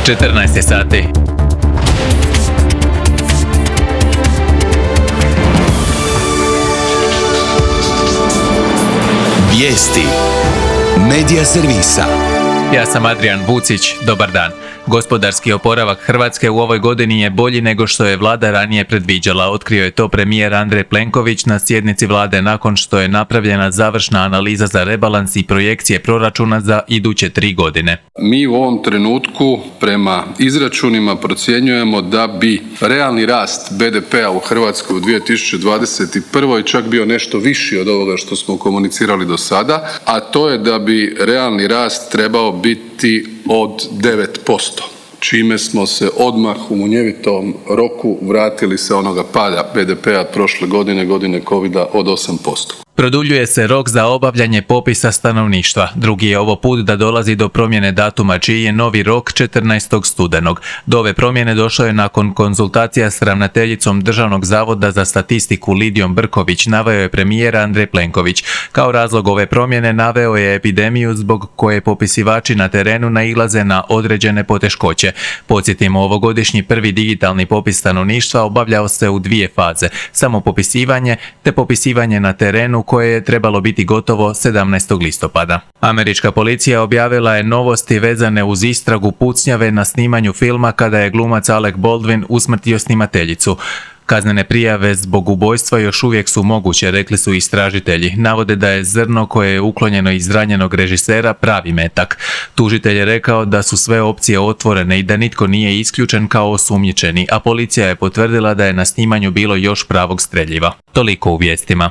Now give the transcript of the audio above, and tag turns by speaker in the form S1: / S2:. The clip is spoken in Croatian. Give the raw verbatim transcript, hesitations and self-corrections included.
S1: četrnaest je sati.
S2: Vijesti Medija servisa.
S1: Ja sam Adrian Vucić, dobar dan. Gospodarski oporavak Hrvatske u ovoj godini je bolji nego što je vlada ranije predviđala. Otkrio je to premijer Andrej Plenković na sjednici vlade nakon što je napravljena završna analiza za rebalans i projekcije proračuna za iduće tri godine.
S3: Mi u ovom trenutku prema izračunima procjenjujemo da bi realni rast be de pea u Hrvatskoj u dvije tisuće dvadeset prvoj čak bio nešto viši od ovoga što smo komunicirali do sada, a to je da bi realni rast trebao biti od devet posto. Čime smo se odmah u munjevitom roku vratili sa onoga pada be de pea prošle godine, godine covida od osam posto.
S1: Produljuje se rok za obavljanje popisa stanovništva. Drugi je ovo put da dolazi do promjene datuma, čiji je novi rok četrnaestog studenog. Do ove promjene došlo je nakon konzultacija s ravnateljicom Državnog zavoda za statistiku Lidijom Brković, naveo je premijer Andrej Plenković. Kao razlog ove promjene naveo je epidemiju zbog koje popisivači na terenu nailaze na određene poteškoće. Podsjetimo, ovogodišnji prvi digitalni popis stanovništva obavljao se u dvije faze, samo popisivanje te popisivanje na terenu, koje je trebalo biti gotovo sedamnaestog listopada. Američka policija objavila je novosti vezane uz istragu pucnjave na snimanju filma kada je glumac Alec Baldwin usmrtio snimateljicu. Kaznene prijave zbog ubojstva još uvijek su moguće, rekli su istražitelji. Navode da je zrno koje je uklonjeno iz ranjenog režisera pravi metak. Tužitelj je rekao da su sve opcije otvorene i da nitko nije isključen kao osumnjičeni, a policija je potvrdila da je na snimanju bilo još pravog streljiva. Toliko u vijestima.